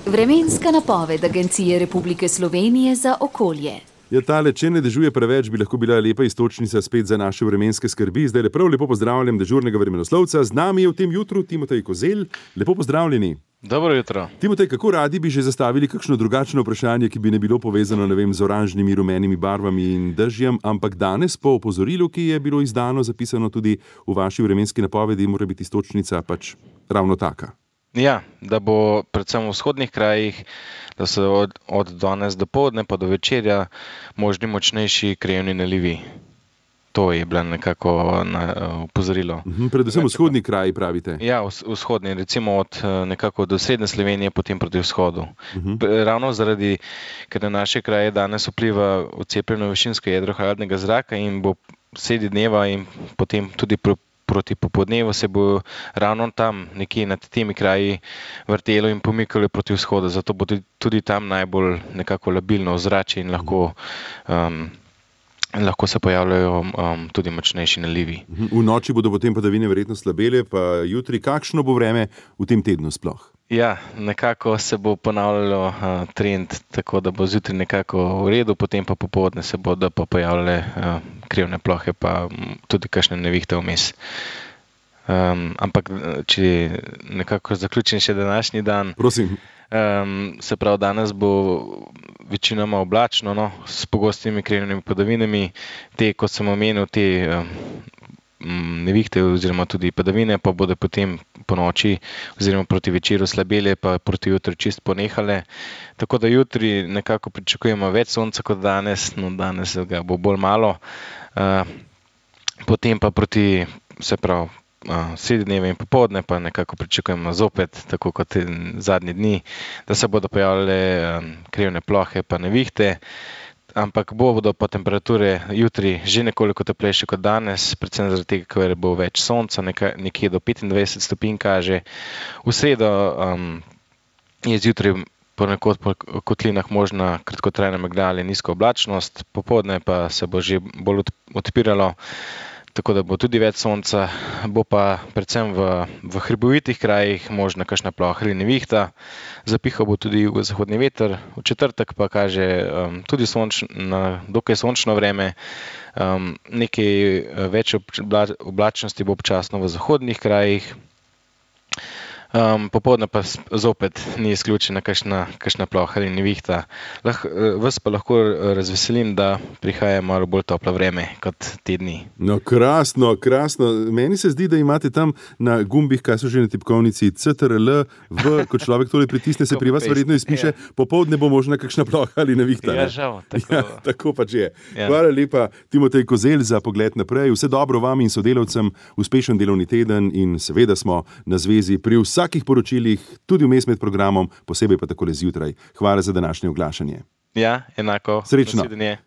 Vremenska napoved Agencije Republike Slovenije za okolje. Ja, tale, če ne dežuje preveč, bi lahko bila lepa iztočnica spet za naše vremenske skrbi. Zdaj prav lepo pozdravljam dežurnega vremenoslovca. Z nami je v tem jutru Timotej Kozelj. Lepo pozdravljeni. Dobro jutro. Timotej, kako radi bi že zastavili kakšno drugačno vprašanje, ki bi ne bilo povezano, z oranžnimi, rumenimi barvami in dežjem, ampak danes po opozorilu, ki je bilo izdano, zapisano tudi v vaši vremenski napovedi, mora biti iztočnica pač ravno taka. Ja, da bo predvsem v vzhodnih krajih, da so od danes do poldne pa do večerja možni močnejši krajevni nalivi. To je bilo nekako opozorilo. Predvsem vzhodni kraji, pravite? Ja, vzhodni, recimo nekako do srednje Slovenije, potem proti vzhodu. Ravno zaradi, ker na naše kraje danes vpliva odcepljeno višinsko jedro hladnega zraka in bo sredi dneva in potem tudi proti popodnevu se bo ravno tam nekje nad temi kraji vrtelo in pomikalo proti vzhodu. Zato bo tudi tam najbolj nekako labilno ozračje in lahko se pojavljajo tudi močnejši nalivi. V noči bodo potem padavine verjetno slabele, pa jutri kakšno bo vreme v tem tednu sploh? Ja, nekako se bo ponavljalo trend, tako da bo zjutraj nekako v redu, potem pa popoldne se bodo pa pojavljale krivne plohe, pa tudi kakšne nevihte vmes. Ampak, če nekako zaključim še današnji dan. Prosim. Se pravi, danes bo večinoma oblačno, s pogostimi krivnimi padavinami. Te, kot sem omenil, te nevihte oziroma tudi padavine pa bodo potem po noči oziroma proti večeru slabele, pa proti jutri čist ponehale. Tako da jutri nekako pričakujemo več sonca kot danes, danes ga bo bolj malo. Potem pa proti, se pravi, sredi dneva in popoldne pa nekako pričakujemo zopet, tako kot zadnji dni, da se bodo pojavljale krivne plohe pa nevihte. Ampak bodo pa temperature jutri že nekoliko toplejše kot danes, predvsem zaradi tega, ker bo več sonca, nekje do 25 stopinj kaže. V sredo je zjutraj ponekod po kotlinah možna kratkotrajna megla ali nizka oblačnost, popoldne pa se bo že bolj odpiralo, tako da bo tudi več sonca, bo pa predvsem v hribovitih krajih možna kakšna ploha ali nevihta. Zapihal bo tudi jugozahodni veter, v četrtek pa kaže tudi dokaj sončno vreme, nekaj več oblačnosti bo občasno v zahodnih krajih. Popoldne pa zopet ni izključena kakšna ploha ali nevihta. Vas pa lahko razveselim, da prihaja malo bolj toplo vreme kot te dni. No, krasno, krasno. Meni se zdi, da imate tam na gumbih, kaj so že na tipkovnici, CTRL, ko človek tole pritisne, se pri vas verjetno izpiše, popoldne bo možna kakšna ploha ali nevihta. Ja, žal. Tako pač je. Hvala lepa, Timotej Kozelj, za pogled naprej. Vse dobro vam in sodelavcem, uspešen delovni teden in seveda smo na zvezi pri vsakih poročilih, tudi vmes med programom, posebej pa takole zjutraj. Hvala za današnje oglašanje. Ja, enako. Srečno. Nasvidenje.